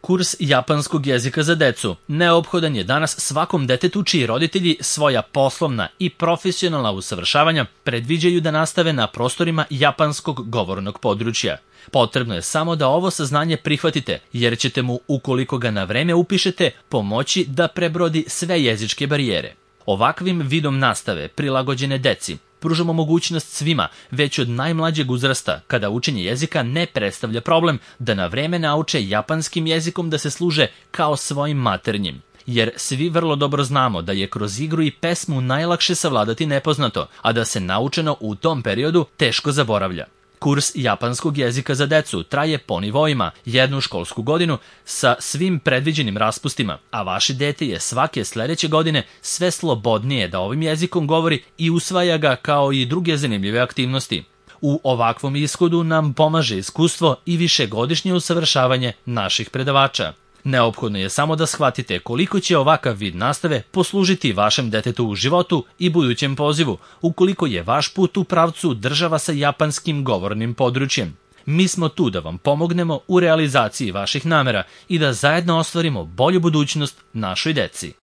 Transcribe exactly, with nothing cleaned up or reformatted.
Kurs japanskog jezika za decu neophodan je danas svakom detetu čiji roditelji svoja poslovna i profesionalna usavršavanja predviđaju da nastave na prostorima japanskog govornog područja. Potrebno je samo da ovo saznanje prihvatite, jer ćete mu, ukoliko ga na vreme upišete, pomoći da prebrodi sve jezičke barijere. Ovakvim vidom nastave prilagođene deci pružamo mogućnost svima, već od najmlađeg uzrasta, kada učenje jezika ne predstavlja problem, da na vreme nauče japanskim jezikom da se služe kao svojim maternjim. Jer svi vrlo dobro znamo da je kroz igru i pesmu najlakše savladati nepoznato, a da se naučeno u tom periodu teško zaboravlja. Kurs japanskog jezika za decu traje po nivoima jednu školsku godinu sa svim predviđenim raspustima, a vaše dete je svake sledeće godine sve slobodnije da ovim jezikom govori i usvaja ga kao i druge zanimljive aktivnosti. U ovakvom ishodu nam pomaže iskustvo i višegodišnje usavršavanje naših predavača. Neophodno je samo da shvatite koliko će ovakav vid nastave poslužiti vašem detetu u životu i budućem pozivu, ukoliko je vaš put u pravcu država sa japanskim govornim područjem. Mi smo tu da vam pomognemo u realizaciji vaših namera i da zajedno ostvarimo bolju budućnost našoj deci.